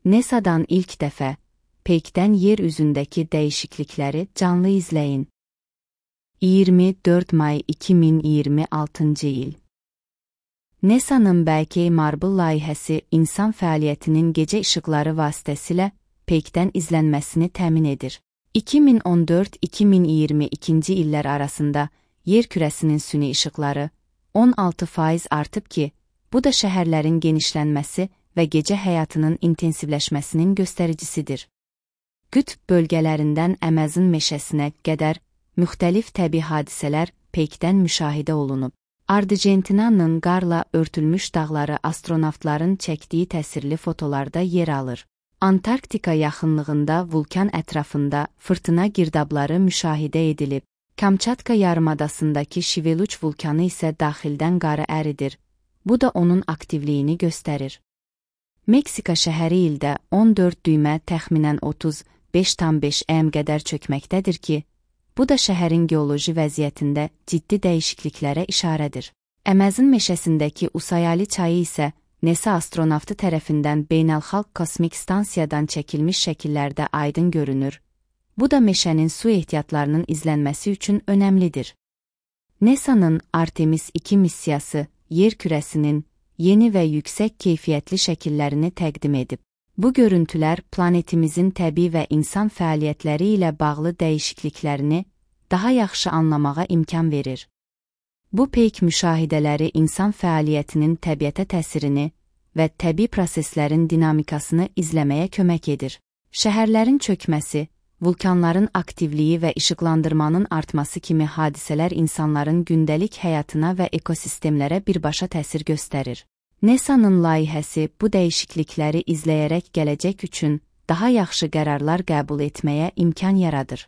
NASA'dan ilk dəfə peykdən yer üzündəki dəyişiklikləri canlı izləyin. 24 may 2026-cı il. NASA'nın Bəlkəy Marble layihəsi insan fəaliyyətinin gecə işıqları vasitəsilə peykdən izlənməsini təmin edir. 2014-2022-ci illər arasında yer kürəsinin süni işıqları 16% artıb ki, bu da şəhərlərin genişlənməsi və gecə həyatının intensivləşməsinin göstəricisidir. Qütb bölgələrindən Əməzon meşəsinə qədər müxtəlif təbii hadisələr peykdən müşahidə olunub. Argentinanın qarla örtülmüş dağları astronavtların çəkdiyi təsirli fotolarda yer alır. Antarktika yaxınlığında vulkan ətrafında fırtına girdabları müşahidə edilib. Kamçatka yarımadasındakı Şiveluç vulkanı isə daxildən qarı əridir. Bu da onun aktivliyini göstərir. Meksika şəhəri ildə 14 düymə təxminən 35,5 m qədər çökməkdədir ki, bu da şəhərin geoloji vəziyyətində ciddi dəyişikliklərə işarədir. Əməzon meşəsindəki Usayali çayı isə NASA astronavtı tərəfindən beynəlxalq kosmik stansiyadan çəkilmiş şəkillərdə aydın görünür. Bu da meşənin su ehtiyatlarının izlənməsi üçün önəmlidir. NASA'nın Artemis 2 missiyası yer kürəsinin yeni və yüksək keyfiyyətli şəkillərini təqdim edib. Bu görüntülər planetimizin təbii və insan fəaliyyətləri ilə bağlı dəyişikliklərini daha yaxşı anlamağa imkan verir. Bu peyk müşahidələri insan fəaliyyətinin təbiətə təsirini və təbii proseslərin dinamikasını izləməyə kömək edir. Şəhərlərin çökməsi, vulkanların aktivliyi və işıqlandırmanın artması kimi hadisələr insanların gündəlik həyatına və ekosistemlərə birbaşa təsir göstərir. NASA'nın layihəsi bu dəyişiklikləri izləyərək gələcək üçün daha yaxşı qərarlar qəbul etməyə imkan yaradır.